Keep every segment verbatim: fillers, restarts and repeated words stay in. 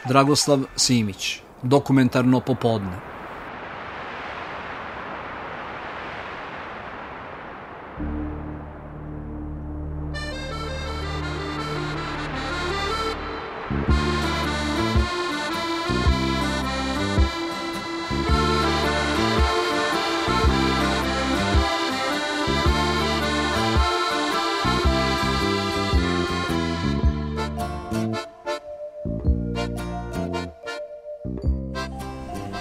Dragoslav Simić, Dokumentarno popodne.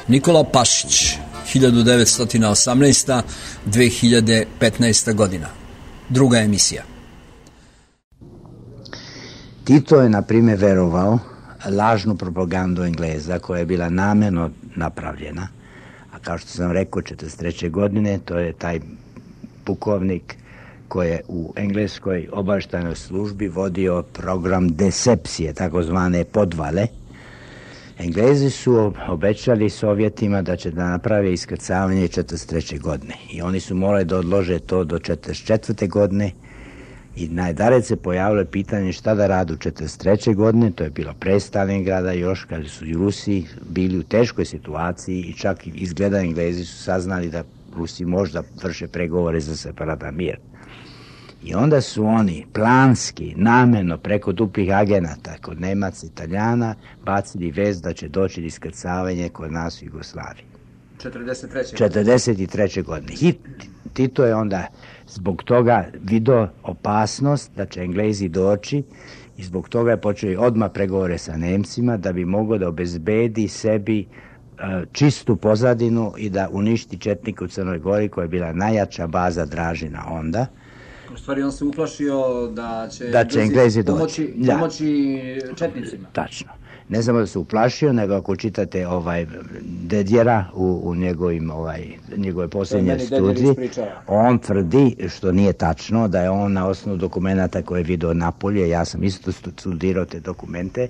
Nikola Pašić, hiljadu devetsto osamnaesta do dve hiljade petnaesta godina. Druga emisija. Tito je, na primjer, verovao lažnu propagandu Engleza koja je bila namjerno napravljena, a kao što sam rekao, četrdeset treće godine, to je taj pukovnik koji je u engleskoj obavještajnoj službi vodio program decepcije, takozvane podvale. Englezi su obećali Sovjetima da će da naprave iskrcavanje četrdeset treće godine i oni su morali da odlože to do četrdeset četvrte godine i najdalje se pojavilo pitanje šta da radu četrdeset treće godine, to je bilo pre Stalingrada još, kada su i Rusi bili u teškoj situaciji i čak izgleda Englezi su saznali da Rusi možda vrše pregovore za separatan mir. I onda su oni planski, namjerno, preko duplih agenata, kod Nemaca i Italijana, bacili vest da će doći do iskrcavanja kod nas u Jugoslaviji. četrdeset treće. četrdeset treće godine. I Tito je onda zbog toga vidio opasnost da će Englezi doći i zbog toga je počeo odmah pregovore sa Nemcima da bi mogao da obezbedi sebi uh, čistu pozadinu i da uništi četnike u Crnoj Gori koja je bila najjača baza Dražina onda. U stvari on se uplašio da će, da će Englezi pomoći, doći. pomoći četnicima. Tačno. Ne samo da se uplašio, nego ako čitate ovaj Dedjera u, u njegovim, ovaj, njegove posljednje studiji, on tvrdi, što nije tačno, da je on na osnovu dokumenta koje je vidio napolje, ja sam isto studirao te dokumente,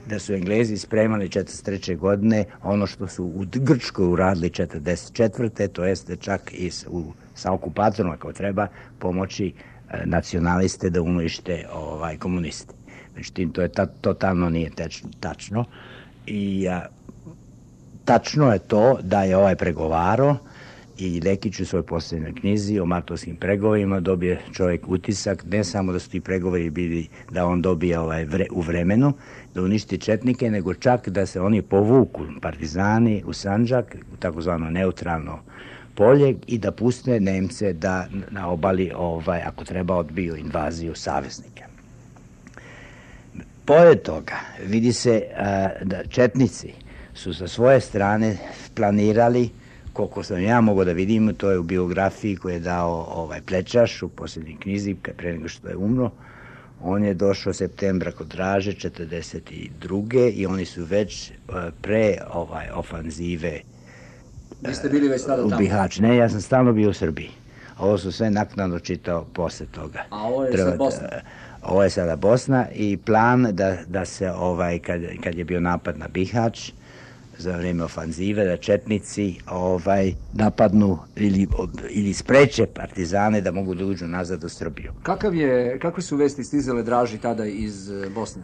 da su Englezi spremali četrdeset treće godine ono što su u Grčkoj uradili četrdeset četvrte to jeste čak i u, sa okupatorom ako treba pomoći e, nacionaliste da unište ovaj, komuniste. Međutim, to je ta, totalno nije tečno, tačno. I a, tačno je to da je ovaj pregovarao i Lekić u svojoj posljednjoj knjizi o martovskim pregovorima dobije čovjek utisak, ne samo da su ti pregovori bili da on dobije ovaj vre, u vremenu, da uništi četnike, nego čak da se oni povuku, partizani, u Sandžak, u takozvano neutralno polje i da puste Nemce da na obali, ovaj, ako treba, odbiju invaziju saveznike. Pored toga, vidi se a, da četnici su sa svoje strane planirali, koliko sam ja mogao da vidim, to je u biografiji koju je dao ovaj Plečaš u posljednjoj knjizi, pre nego što je umro. On je došao septembra kod Draže četrdeset druge i oni su već a, pre ovaj ofanzive Vi ste bili već tada u tamo? Bihać. Ne, ja sam stalno bio u Srbiji. Ovo su sve naknadno čitao posle toga. A ovo je Treba, sad Bosna? Ovo je sada Bosna i plan da, da se, ovaj, kad, kad je bio napad na Bihać, za vrijeme ofanzive, da četnici ovaj, napadnu ili, ili spreče partizane da mogu da uđu nazad u Srbiju. Kakav je, kakve su vesti stizale Draži tada iz Bosne?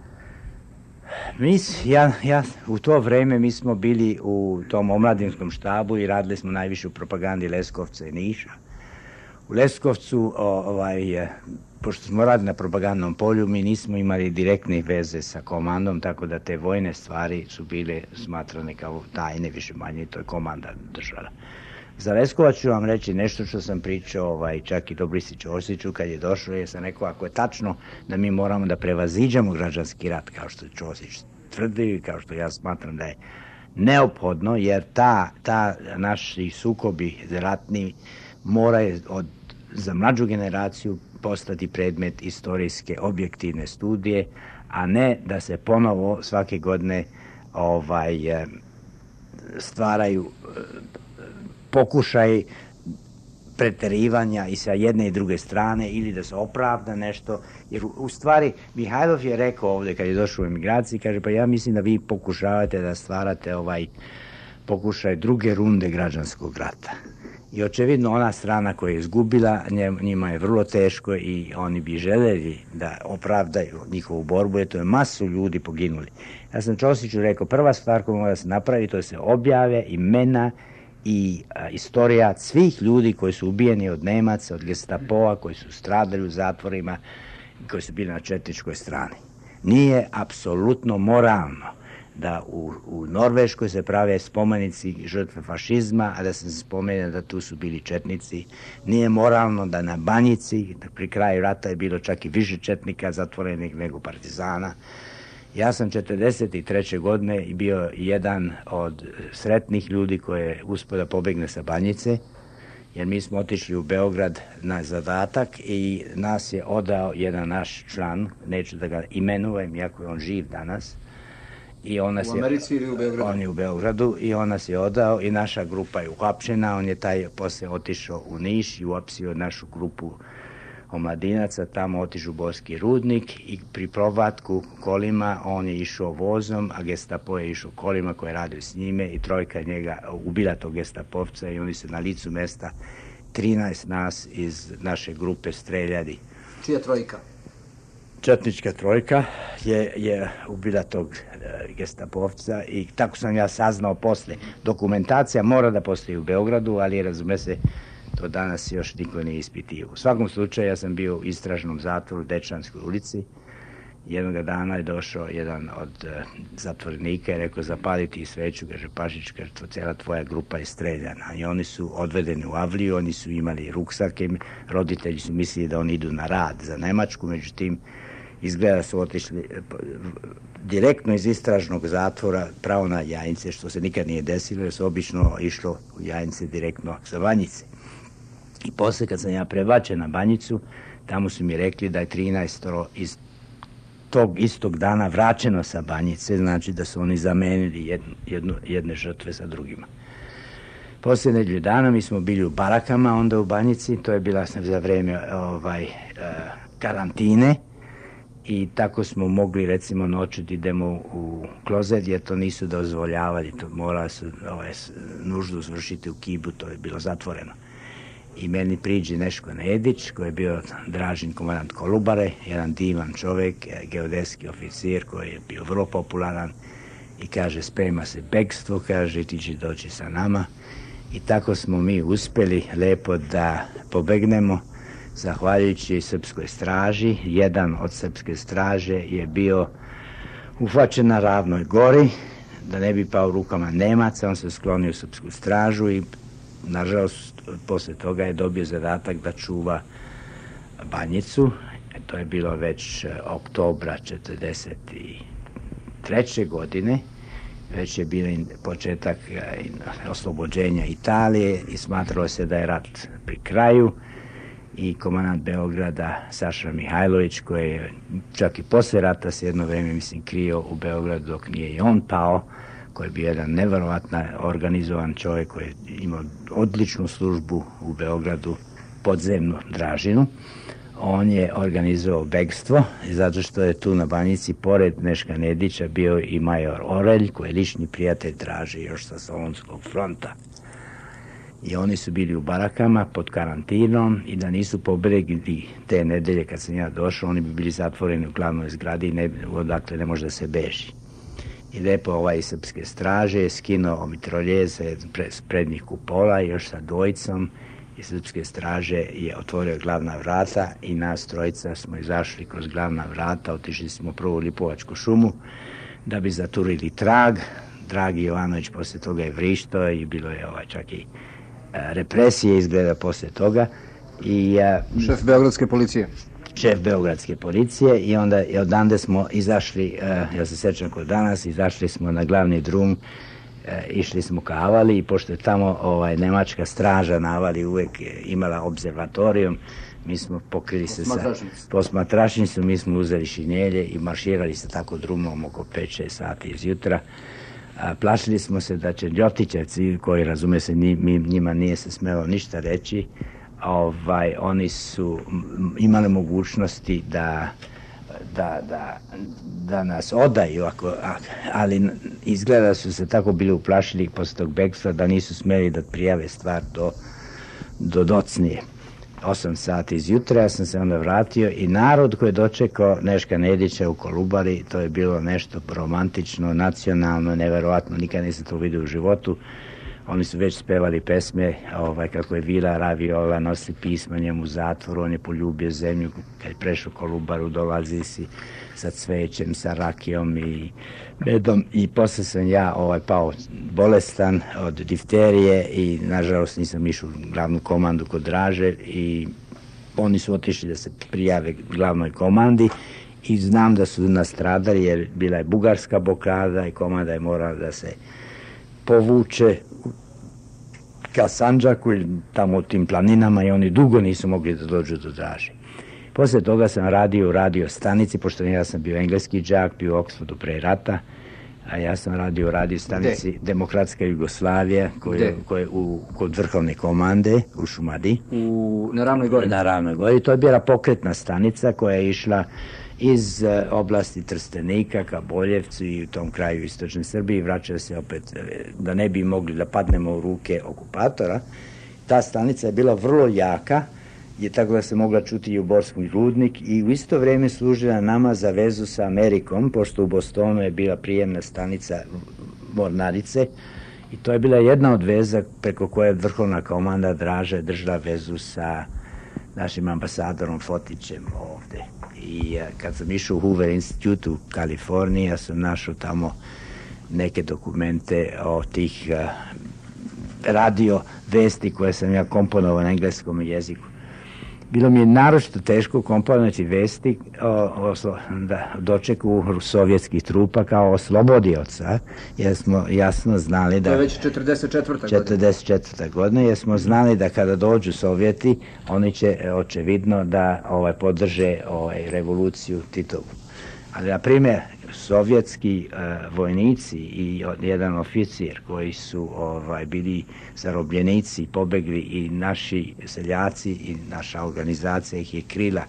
Mi, ja, ja, u to vrijeme mi smo bili u tom omladinskom štabu i radili smo najviše u propagandi Leskovca i Niša. U Leskovcu, ovaj, pošto smo radili na propagandnom polju, mi nismo imali direktne veze sa komandom, tako da te vojne stvari su bile smatrane kao tajne, više manje, to je komanda držala. Za Leskovac ću vam reći nešto što sam pričao ovaj, čak i Dobrici Ćosiću kad je došao, jer sam rekao ako je tačno da mi moramo da prevaziđamo građanski rat, kao što je Ćosić tvrdi, kao što ja smatram da je neophodno, jer ta, ta naši sukobi ratni moraju od, za mlađu generaciju postati predmet istorijske objektivne studije, a ne da se ponovo svake godine ovaj, stvaraju pokušaj preterivanja i sa jedne i druge strane ili da se opravda nešto, jer u stvari Mihajlov je rekao ovdje kad je došao u emigraciji, kaže pa ja mislim da vi pokušavate da stvarate ovaj pokušaj druge runde građanskog rata. I očevidno ona strana koja je izgubila, njima je vrlo teško i oni bi željeli da opravdaju njihovu borbu, jer to je masu ljudi poginuli. Ja sam Ćosiću rekao, prva stvar koja mora se napraviti, to je se objave imena i a, istorija svih ljudi koji su ubijeni od Nemaca, od Gestapoa, koji su stradali u zatvorima, koji su bili na četničkoj strani. Nije apsolutno moralno da u, u Norveškoj se prave spomenici žrtve fašizma, a da se spomene da tu su bili četnici. Nije moralno da na Banjici, pri kraju rata je bilo čak i više četnika zatvorenih nego partizana. Ja sam četrdeset treće godine bio jedan od sretnih ljudi koji je uspio da pobegne sa Banjice, jer mi smo otišli u Beograd na zadatak i nas je odao jedan naš član, neću da ga imenujem, iako je on živ danas. I on nas u Americi je, ili u Beogradu? On je u Beogradu i on nas je odao i naša grupa je uhapšena. On je taj posle otišao u Niš i uapsio našu grupu omladinaca, tamo otišao u Borski rudnik i pri provatku kolima on je išao vozom, a Gestapo je išao kolima koje radio s njime i trojka njega ubila tog Gestapovca i oni se na licu mesta trinaest nas iz naše grupe streljali. Čija trojka? Četnička trojka je, je ubila tog e, Gestapovca i tako sam ja saznao posle. Dokumentacija mora da postoji u Beogradu, ali razume se, to danas još niko nije ispitio. U svakom slučaju ja sam bio u istražnom zatvoru u Dečanskoj ulici. Jednog dana je došao jedan od e, zatvorenika i rekao zapaliti sveću, kaže Pašić, kaže cijela tvoja grupa je streljana. I oni su odvedeni u Avliju, oni su imali ruksake, roditelji su mislili da oni idu na rad za Nemačku, međutim izgleda su otišli direktno iz istražnog zatvora pravo na Jajince, što se nikad nije desilo, jer su obično išlo u Jajince direktno sa Banjice. I posle kad sam ja prebačen na Banjicu, tamo su mi rekli da je trinaest iz tog istog dana vraćeno sa Banjice, znači da su oni zamenili jednu, jednu, jedne žrtve sa drugima. Posle nedelju dana mi smo bili u barakama onda u Banjici, to je bila za vreme ovaj, karantine, i tako smo mogli recimo noćiti idemo u klozet jer to nisu dozvoljavali, to morali su ovaj, nuždu zvršiti u Kibu, to je bilo zatvoreno. I meni priđe Neško Nedić koji je bio Dražin komandant Kolubare, jedan divan čovjek, geodetski oficir koji je bio vrlo popularan i kaže sprema se bekstvo, kaže ti će doći sa nama i tako smo mi uspjeli lepo da pobegnemo. Zahvaljujući srpskoj straži, jedan od srpske straže je bio uhvaćen na Ravnoj gori, da ne bi pao rukama Nemaca, on se sklonio u srpsku stražu i nažalost posle toga je dobio zadatak da čuva Banjicu. To je bilo već oktobra četrdeset treće godine, već je bio početak oslobođenja Italije i smatralo se da je rat pri kraju. I komandant Beograda Saša Mihajlović, koji je čak i posle rata se jedno vreme, mislim, krio u Beogradu dok nije i on pao, koji je bio jedan neverovatno organizovan čovjek koji je imao odličnu službu u Beogradu, podzemnu Dražinu. On je organizovao bekstvo, zato što je tu na Banjici, pored Neška Nedića, bio i major Orelj, koji je lični prijatelj Draže još sa Solunskog fronta. I oni su bili u barakama pod karantinom i da nisu pobegli te nedelje kad sam ja došao, oni bi bili zatvoreni u glavnoj zgradi i ne, odakle ne može da se beži. I lepo ovaj iz srpske straže je skinuo mitroljeze s prednjih kupola i još sa dvojicom iz srpske straže je otvorio glavna vrata i nas trojica smo izašli kroz glavna vrata, otišli smo prvo u Lipovačku šumu da bi zaturili trag. Dragi Jovanović posle toga je vrištao i bilo je ovaj čak i represije izgleda posle toga. I, uh, šef Beogradske policije. Šef Beogradske policije i onda i odande smo izašli, uh, ja se sećam kod danas, izašli smo na glavni drum, uh, išli smo ka Avali i pošto je tamo ovaj, nemačka straža na Avali uvek imala observatorijum, mi smo pokrili se sa posmatračnicom, mi smo uzeli šinjelje i marširali se tako drumom oko pet šest sati izjutra. A, plašili smo se da će Ljotićevci, koji razume se njima nije se smelo ništa reći, ovaj, oni su imali mogućnosti da, da, da, da nas odaju, ako, ali izgleda su se tako bili uplašili posle tog bekstva da nisu smeli da prijave stvar do do Docnije. osam sati izjutra, ja sam se onda vratio i narod koji je dočekao Neška Nedića u Kolubari, to je bilo nešto romantično, nacionalno, neverovatno, nikad nisam to vidio u životu. Oni su već spevali pesme, ovaj, kako je Vila Raviola, nosi pisma njemu u zatvoru, on je poljubio zemlju, kad je prešao Kolubaru, dolazi si sa cvećem, sa rakijom i medom i posle sam ja ovaj, pao bolestan od difterije i nažalost nisam išao u glavnu komandu kod Draže i oni su otišli da se prijave glavnoj komandi i znam da su nastradali jer bila je bugarska blokada i komanda je morala da se povuče ka Sandžaku ili tamo u tim planinama i oni dugo nisu mogli da dođu do Draže. Posle toga sam radio u radio stanici, pošto ja sam bio engleski džak, bio u Oxfordu pre rata, a ja sam radio u radio stanici De? Demokratska Jugoslavija, koje, koje u, kod vrhovne komande u Šumadiji. U, na Ravnoj gori? Na Ravnoj gori. To je bila pokretna stanica koja je išla iz uh, oblasti Trstenika ka Boljevcu i u tom kraju istočne Srbije i vraćala se opet, da ne bi mogli da padnemo u ruke okupatora. Ta stanica je bila vrlo jaka, je tako da se mogla čuti i u Borski rudnik i u isto vreme služila nama za vezu sa Amerikom, pošto u Bostonu je bila prijemna stanica Mornarice i to je bila jedna od veza preko koje vrhovna komanda Draže držala vezu sa našim ambasadorom Fotićem ovde. I kad sam išao u Hoover Institute u Kaliforniji, ja sam našao tamo neke dokumente o tih uh, radio vesti koje sam ja komponovao na engleskom jeziku. Bilo mi je naročito teško komponovati vesti o, o da, dočeku sovjetskih trupa kao oslobodioca, jer smo jasno znali da... To je već četrdeset četvrta godina. četrdeset četvrta godina, jer smo znali da kada dođu Sovjeti, oni će očevidno da ovaj, podrže ovaj, revoluciju Titovu. Ali, na primjer, sovjetski uh, vojnici i jedan oficir koji su ovaj, bili zarobljenici, pobegli i naši seljaci i naša organizacija ih je krila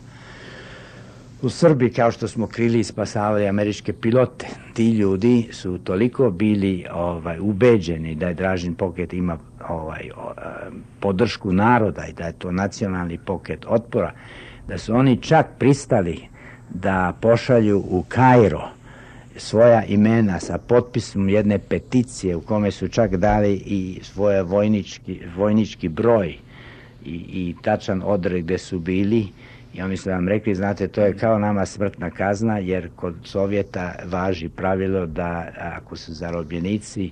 u Srbiji kao što smo krili i spasavali američke pilote. Ti ljudi su toliko bili ovaj, ubeđeni da je Dražin pokret ima ovaj, o, a, podršku naroda i da je to nacionalni pokret otpora, da su oni čak pristali da pošalju u Kairo svoja imena sa potpisom jedne peticije u kome su čak dali i svoje vojnički, vojnički broj i, i tačan odred gde su bili i oni su vam rekli, znate, to je kao nama smrtna kazna jer kod Sovjeta važi pravilo da ako su zarobljenici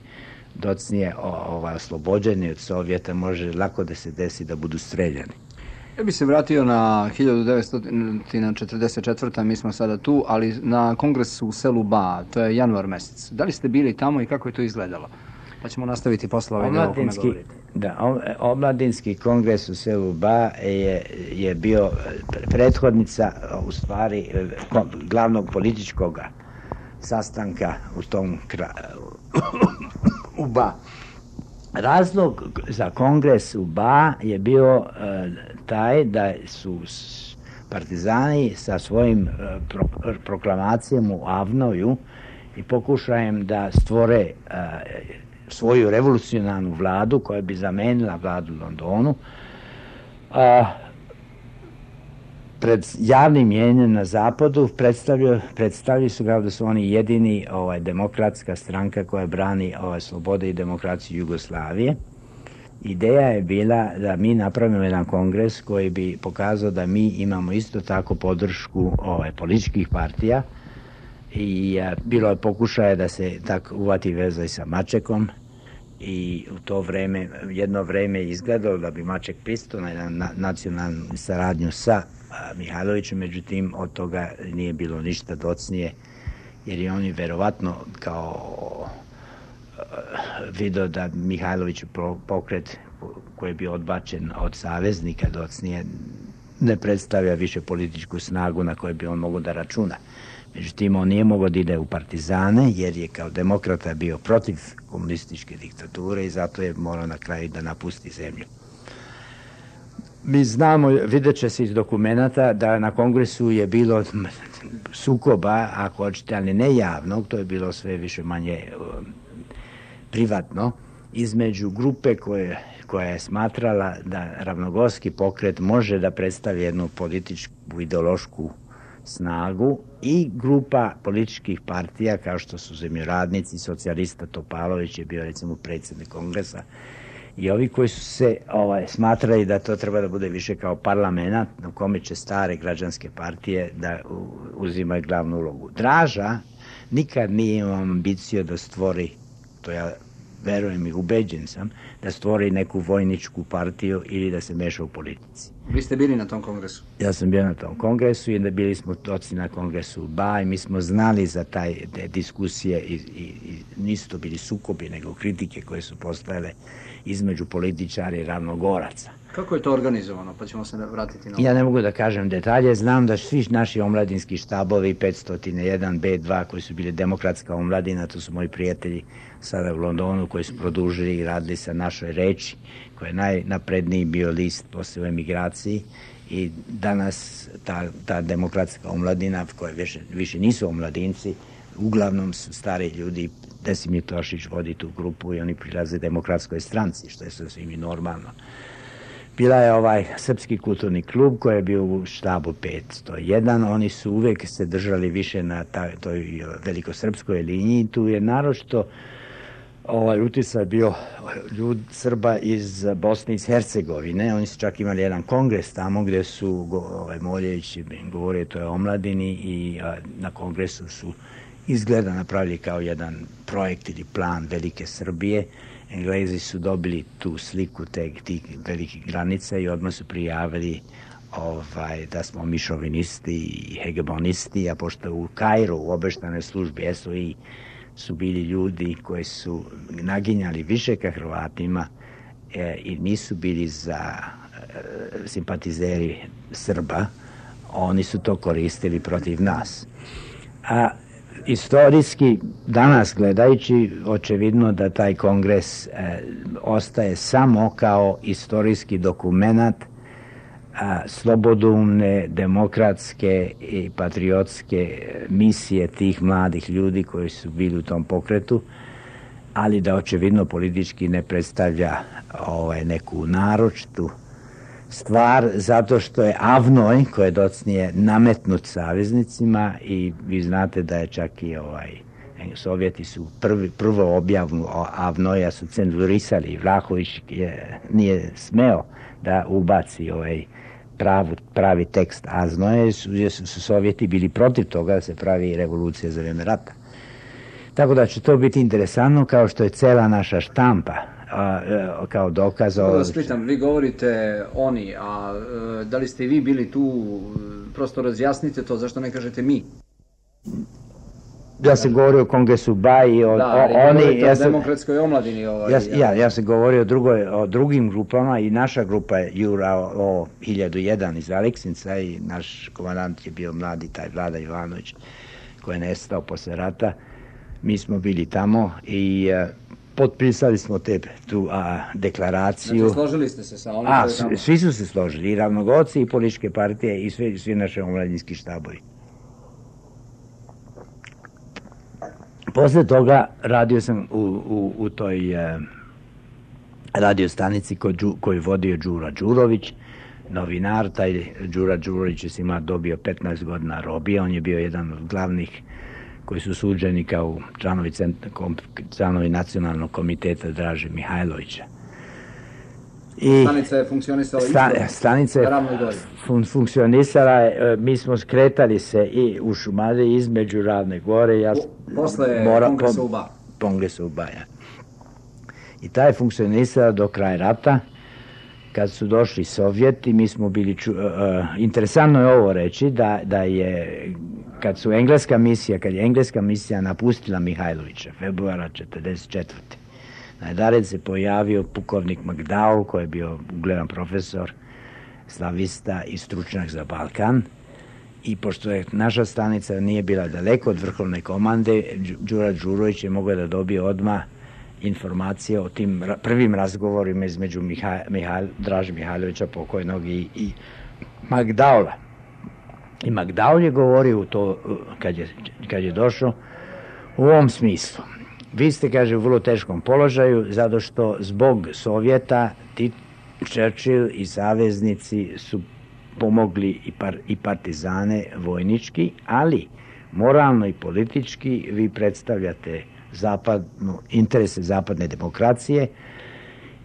docnije ovaj, oslobođeni od Sovjeta može lako da se desi da budu streljani. Ja bih se vratio na hiljadu devetsto četrdeset četvrta. mi smo sada tu, ali na kongresu u selu Ba, to je januar mesec. Da li ste bili tamo i kako je to izgledalo? Pa ćemo nastaviti posle ovaj deo o kome govorite. Da, omladinski kongres u selu Ba je, je bio prethodnica, u stvari, glavnog političkog sastanka u tom kraju, u Ba. Razlog za kongres u Ba je bio uh, taj da su partizani sa svojim uh, pro, proklamacijama u Avnoju i pokušajem da stvore uh, svoju revolucionarnu vladu koja bi zamenila vladu u Londonu, uh, pred javnim mjenjem na zapadu predstavljaju, predstavljaju su kao da su oni jedini ovaj, demokratska stranka koja brani ovaj, slobode i demokraciju Jugoslavije. Ideja je bila da mi napravimo jedan kongres koji bi pokazao da mi imamo isto tako podršku ovaj, političkih partija i a, bilo je pokušaje da se tako uvati veza i sa Mačekom i u to vreme, jedno vreme je izgledalo da bi Maček pristao na jedan na, nacionalnu saradnju sa Mihajlovićem, međutim od toga nije bilo ništa docnije jer je oni verovatno kao video da Mihajlović pokret koji je bio odbačen od saveznika docnije ne predstavlja više političku snagu na kojoj bi on mogao da računa. Međutim, on nije mogao da ide u partizane jer je kao demokrata bio protiv komunističke diktature i zato je morao na kraju da napusti zemlju. Mi znamo, vidjet će se iz dokumenta da na kongresu je bilo sukoba, ako hoćete, ali ne javnog, to je bilo sve više manje uh, privatno, između grupe koje, koja je smatrala da ravnogorski pokret može da predstavi jednu političku, ideološku snagu i grupa političkih partija kao što su zemljoradnici, socijalista Topalović je bio recimo predsjednik kongresa i ovi koji su se ovaj, smatrali da to treba da bude više kao parlament na kome će stare građanske partije da uzimaju glavnu ulogu. Draža nikad nije imao ambiciju da stvori, to ja verujem i ubeđen sam, da stvori neku vojničku partiju ili da se meša u politici. Vi ste bili na tom kongresu? Ja sam bio na tom kongresu i da bili smo toci na kongresu u Ba i mi smo znali za taj, te diskusije i, i, i nisu to bili sukobi, nego kritike koje su postojale između političara i ravnogoraca. Kako je to organizovano? Pa ćemo se vratiti na ovo. Ja ne mogu da kažem detalje, znam da svi naši omladinski štabovi, petsto jedan, B dva, koji su bili demokratska omladina, to su moji prijatelji sada u Londonu, koji su produžili i radili sa Našoj reči, koji je najnapredniji bio list posle u emigraciji i danas ta, ta demokratska omladina, koja više, više nisu omladinci, uglavnom su stari ljudi. Desimir Tošić vodi tu grupu i oni prilaze demokratskoj stranci, što je sasvim i normalno. Bila je ovaj Srpski kulturni klub koji je bio u štabu petsto jedan, oni su uvek se držali više na ta, toj velikosrpskoj liniji, tu je naročito ovaj uticaj bio ljud Srba iz Bosne i iz Hercegovine, oni su čak imali jedan kongres tamo gde su ovaj, Moljević govorio to je o omladini i a, na kongresu su izgleda napravili kao jedan projekt ili plan Velike Srbije. Englezi su dobili tu sliku te, tih velikih granica i odmah su prijavili ovaj, da smo mi šovinisti i hegemonisti, a pošto u Kairu u obaveštajnoj službi S O I su bili ljudi koji su naginjali više ka Hrvatima e, i nisu bili za e, simpatizeri Srba, oni su to koristili protiv nas. A istorijski, danas gledajući, očevidno da taj kongres e, ostaje samo kao istorijski dokumenat a, slobodoumne, demokratske i patriotske misije tih mladih ljudi koji su bili u tom pokretu, ali da očevidno politički ne predstavlja ovaj, neku naročitu stvar, zato što je Avnoj, koji je docnije nametnut saveznicima i vi znate da je čak i ovaj, Sovjeti su prvi, prvo objavu Avnoja su cenzurisali. Vlahović je, nije smeo da ubaci ovaj pravi, pravi tekst Avnoja, su, su Sovjeti bili protiv toga da se pravi revolucija za vreme rata. Tako da će to biti interesantno, kao što je cela naša štampa a, a, kao dokaz. Da vas pitam, vi govorite oni, a da li ste vi bili tu, prosto razjasnite to, zašto ne kažete mi? Ja sam govorio o Kongresu Ba i o, da, o oni... Ja sam, o demokratskoj omladini. Ovaj, ja, ja, ja sam govorio o, drugoj, o drugim grupama i naša grupa je Jura o, o hiljadu jedan iz Aleksinca i naš komandant je bio mladi, taj Vlada Ivanović, koji je nestao posle rata. Mi smo bili tamo i a, potpisali smo te, tu a, deklaraciju. Znači, složili ste se sa onim? A, svi, svi su se složili, i ravnogoci, i političke partije, i svi, svi naše omladinski štabovi. Posle toga radio sam u, u, u toj e, radio stanici koju, koju vodio Đura Đurović, novinar. Taj Đura Đurović je ima dobio petnaest godina robije, on je bio jedan od glavnih koji su suđeni kao članovi, kom, članovi nacionalnog komiteta Draže Mihajlovića. I stanica je funkcionisala sta, isto? Stanica je fun, funkcionisala, mi smo skretali se i u Šumadiji između Ravne Gore. Ja, u, posle mora, Kongresa u Ba. Kongresa u Ba, ja. I taj je funkcionisala do kraja rata. Kad su došli Sovjeti, mi smo bili... Ču, uh, interesantno je ovo reći, da, da je... Kad su engleska misija, kad je engleska misija napustila Mihajlovića, februara četrdeset četvrte Najdared se pojavio pukovnik McDowell, koji je bio ugledan profesor, slavista i stručnjak za Balkan. I pošto je naša stanica nije bila daleko od vrhovne komande, Đura Đurović je mogao da dobije odmah informacije o tim prvim razgovorima između Mihaj, Mihaj, Draže Mihajlovića pokojnog i, i McDowella. I McDowell je govorio to kad je, kad je došao u ovom smislu. vi ste, kaže, u vrlo teškom položaju, zato što zbog Sovjeta Churchill i saveznici su pomogli i, par, i partizane vojnički, ali moralno i politički vi predstavljate zapadnu, interese zapadne demokracije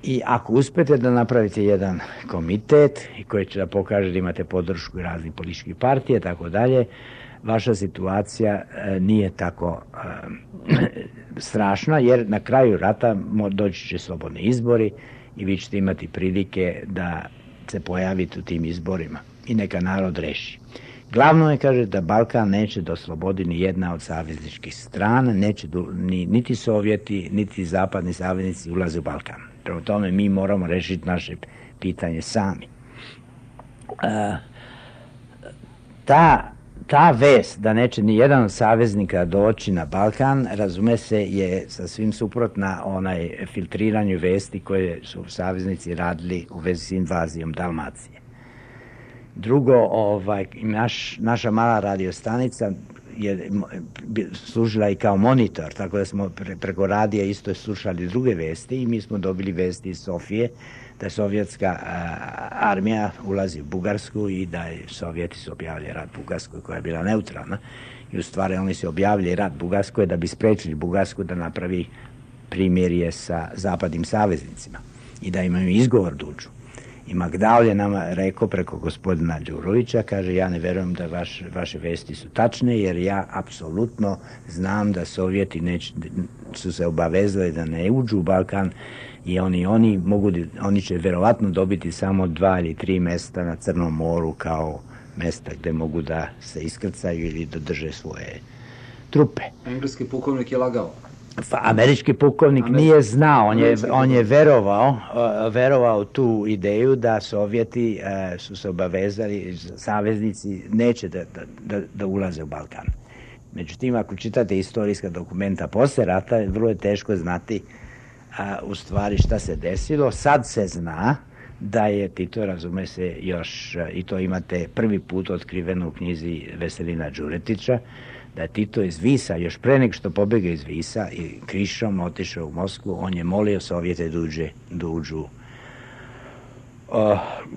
i ako uspete da napravite jedan komitet koji će da pokaže da imate podršku raznih političkih partija, tako dalje, vaša situacija e, nije tako e, strašna, jer na kraju rata doći će slobodni izbori i vi ćete imati prilike da se pojavite u tim izborima i neka narod reši. Glavno je, kaže, da Balkan neće da oslobodi ni jedna od savezničkih strana, neće do, ni, niti Sovjeti, niti zapadni saveznici ulaze u Balkan. Prema tome mi moramo rešiti naše pitanje sami. E, ta, ta vest da neće ni jedan od saveznika doći na Balkan, razume se, je sasvim suprotna onaj filtriranju vesti koje su saveznici radili u vezi s invazijom Dalmacije. Drugo, ovaj, naš, naša mala radiostanica je služila i kao monitor, tako da smo pre, preko radija isto slušali druge vesti i mi smo dobili vesti iz Sofije da sovjetska a, armija ulazi u Bugarsku i da je Sovjeti su objavili rat Bugarskoj koja je bila neutralna i u stvari oni su objavili rat Bugarskoj da bi sprečili Bugarsku da napravi primirje sa zapadnim saveznicima i da imaju izgovor da uđu. I Magdal je nama rekao preko gospodina Đurovića, kaže, ja ne verujem da vaš, vaše vesti su tačne, jer ja apsolutno znam da Sovjeti neć, su se obavezali da ne uđu u Balkan i oni, oni, mogu, oni će verovatno dobiti samo dva ili tri mesta na Crnom moru kao mesta gde mogu da se iskrcaju ili da drže svoje trupe. Engleski pukovnik je lagao. Pa, američki pukovnik Američki. nije znao, on je, on je verovao, uh, verovao tu ideju da Sovjeti uh, su se obavezali, saveznici neće da, da, da ulaze u Balkan. Međutim, ako čitate istorijska dokumenta posle rata, vrlo je teško znati uh, u stvari šta se desilo. Sad se zna da je Tito, razume se, još, uh, i to imate prvi put otkriveno u knjizi Veselina Đuretića, da je Tito iz Visa, još pre nego što pobjega iz Visa i krišom otišao u Moskvu, on je molio Sovjete da, uđe, da uđu uh,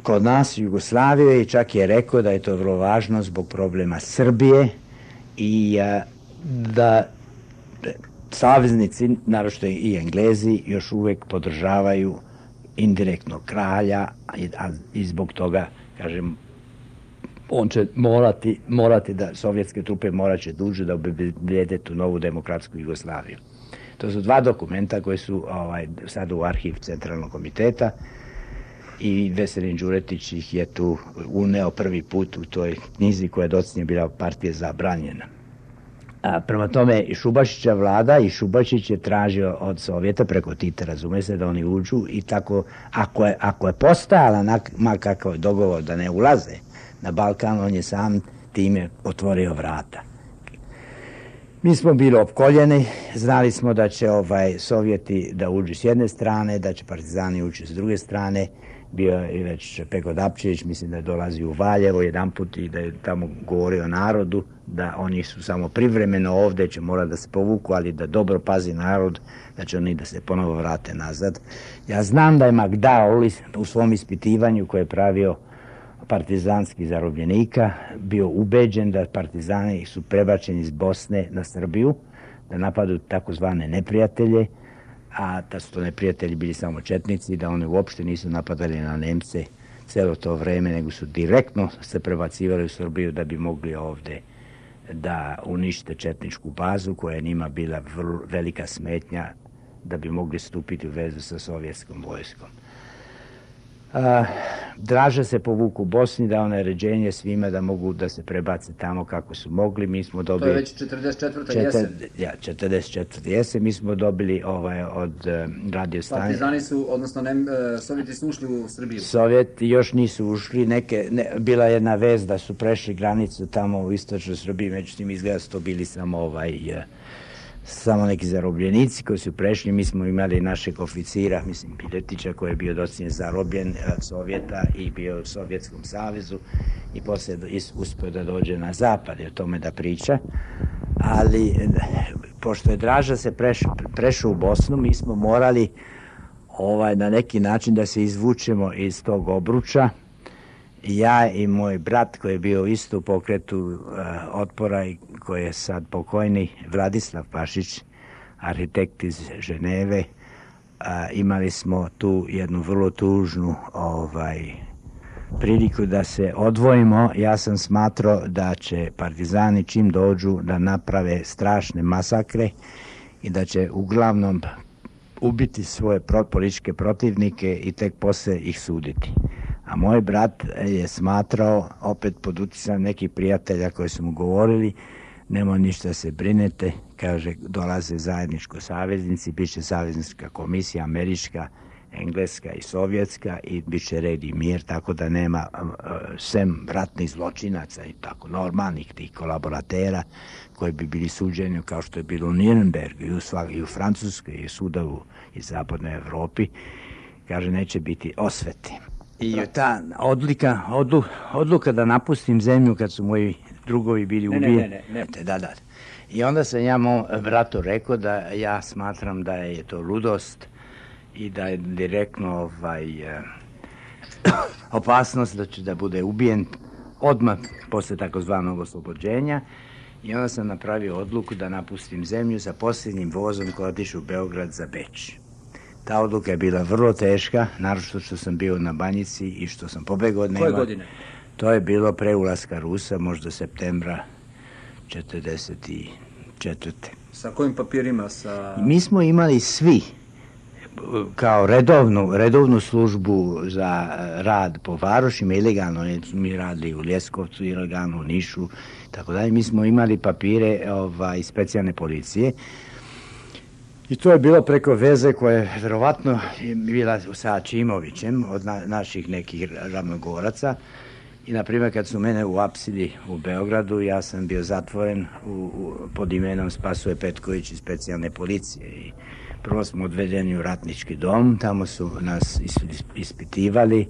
kod nas u Jugoslaviju i čak je rekao da je to vrlo važno zbog problema Srbije i uh, da saveznici, naročito i Englezi, još uvek podržavaju indirektno kralja i, a, i zbog toga, kažem, on će morati, morati da, sovjetske trupe morat će duže da obezbede tu novu demokratsku Jugoslaviju. To su dva dokumenta koji su ovaj, sad u arhiv Centralnog komiteta i Veselin Đuretić ih je tu uneo prvi put u toj knjizi koja je docnije bila partija zabranjena. A, prema tome, i Šubašića vlada i Šubašić je tražio od Sovjeta preko Tita, razume se, da oni uđu i tako, ako je, ako je postojala makakav dogovor da ne ulaze na Balkan, on je sam time otvorio vrata. Mi smo bili opkoljeni, znali smo da će ovaj Sovjeti da uđu s jedne strane, da će partizani ući s druge strane. Bio je već Peko Dapčević, mislim da je dolazi u Valjevo jedan put i da je tamo govorio narodu, da oni su samo privremeno ovde, će morati da se povuku, ali da dobro pazi narod, da će oni da se ponovo vrate nazad. Ja znam da je Magdal u svom ispitivanju koje je pravio partizanskih zarobljenika bio ubeđen da partizani su prebačeni iz Bosne na Srbiju, da napadu takozvane neprijatelje, a da su to neprijatelji bili samo četnici, da oni uopšte nisu napadali na Nemce celo to vreme, nego su direktno se prebacivali u Srbiju da bi mogli ovde da unište četničku bazu koja je njima bila vrlo velika smetnja da bi mogli stupiti u vezu sa sovjetskom vojskom. A, draže se povuku u Bosni, dao naređenje svima da mogu da se prebace tamo kako su mogli. Mi smo dobili... To je već četrdeset četvrta jesen. Ja, četrdeset četvrta jesen. Mi smo dobili ovaj, od uh, radio stanice. Partizani su, odnosno ne, uh, Sovjeti su ušli u Srbiju. Sovjeti još nisu ušli. Neke, ne, bila je jedna vez da su prešli granicu tamo u istočnoj Srbiji, međutim izgleda su to bili samo ovaj... Uh, samo neki zarobljenici koji su prešli. Mi smo imali našeg oficira, mislim Piletića, koji je bio docnije zarobljen od Sovjeta i bio u Sovjetskom savezu i poslije uspio da dođe na zapad i o tome da priča, ali pošto je Draža se preš, prešao u Bosnu, mi smo morali ovaj, na neki način da se izvučemo iz tog obruča. Ja i moj brat koji je bio isto u pokretu uh, otpora i koji je sad pokojni, Vladislav Pašić, arhitekt iz Ženeve, uh, imali smo tu jednu vrlo tužnu ovaj, priliku da se odvojimo. Ja sam smatrao da će partizani čim dođu da naprave strašne masakre i da će uglavnom ubiti svoje političke protivnike i tek posle ih suditi. A moj brat je smatrao, opet pod uticajem nekih prijatelja koji su mu govorili, nemoj ništa se brinete, kaže, dolaze zajedničko saveznici, bit će saveznička komisija, američka, engleska i sovjetska i bit će red i mir, tako da nema sem ratnih zločinaca i tako normalnih tih kolaboratera koji bi bili suđeni kao što je bilo u Nürnbergu i u, svak, i u Francuskoj i u sudavu i zapadnoj Evropi, kaže, neće biti osveti. I ta odlika, odlu, odluka da napustim zemlju kad su moji drugovi bili ubijeni. Ne, ne, ne, ne. Da, da. I onda sam ja mom bratu rekao da ja smatram da je to ludost i da je direktno ovaj, eh, opasnost da će da bude ubijen odmah posle takozvanog oslobođenja. I onda sam napravio odluku da napustim zemlju sa posljednjim vozom koji otišu u Beograd za Beč. Ta odluka je bila vrlo teška, naročito što sam bio na Banjici i što sam pobegao od nema. Koje godine? To je bilo pre ulaska Rusa, možda septembra četrdeset četvrte. Sa kojim papirima? Sa... Mi smo imali svi kao redovnu, redovnu službu za rad po varošima, ilegalno, mi radili u Ljeskovcu, ilegalno u Nišu, tako dalje. Mi smo imali papire ovaj, specijalne policije. I to je bilo preko veze koja je verovatno bila sa Čimovićem od na, naših nekih ravnogoraca. I, na primjer, kad su mene uapsili u Beogradu, ja sam bio zatvoren u, u, pod imenom Spasoje Petković iz specijalne policije. I prvo smo odvedeni u ratnički dom, tamo su nas is, is, ispitivali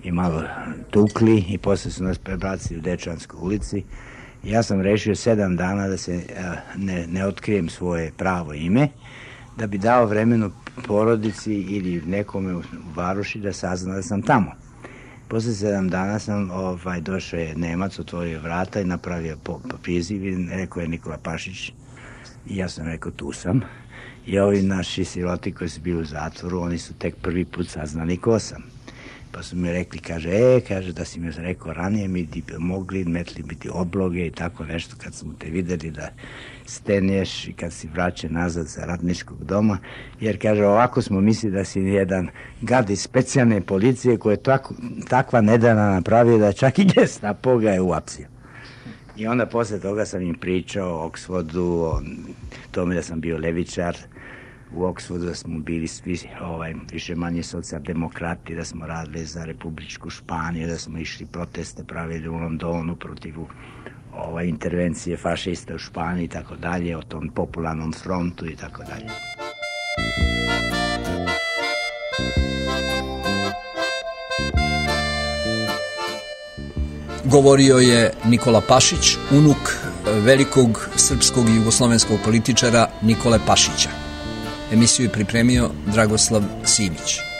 i malo tukli i posle su nas prebacili u Dečanskoj ulici. I ja sam rešio sedam dana da se a, ne, ne otkrijem svoje pravo ime, da bi dao vremenu porodici ili nekome u Varoši da sazna da sam tamo. Posle sedam dana sam ovaj, došao je Nemac, otvorio vrata i napravio po, po priziv i rekao je Nikola Pašić. I ja sam rekao tu sam. I ovi naši siroti koji su bili u zatvoru, oni su tek prvi put saznali ko sam. Pa su mi rekli, kaže, e, kaže, da si mi rekao ranije, mi ti mogli metli biti obloge i tako nešto, kad smo te videli da stenješ i kad si vraćen nazad sa ratničkog doma, jer, kaže, ovako smo mislili da si jedan gad iz specijalne policije koja je tako, takva nedana napravio da čak i Gestapo ga je uapsio. I onda posle toga sam im pričao o Oxfordu, o tome da sam bio levičar, u Oxfordu da smo bili svi ovaj, više manje socijaldemokrati, da smo radili za Republičku Španiju, da smo išli proteste pravili u Londonu protiv ovaj, intervencije fašista u Španiji i tako dalje, o tom popularnom frontu i tako dalje. Govorio je Nikola Pašić, unuk velikog srpskog i jugoslovenskog političara Nikole Pašića. Emisiju je pripremio Dragoslav Simić.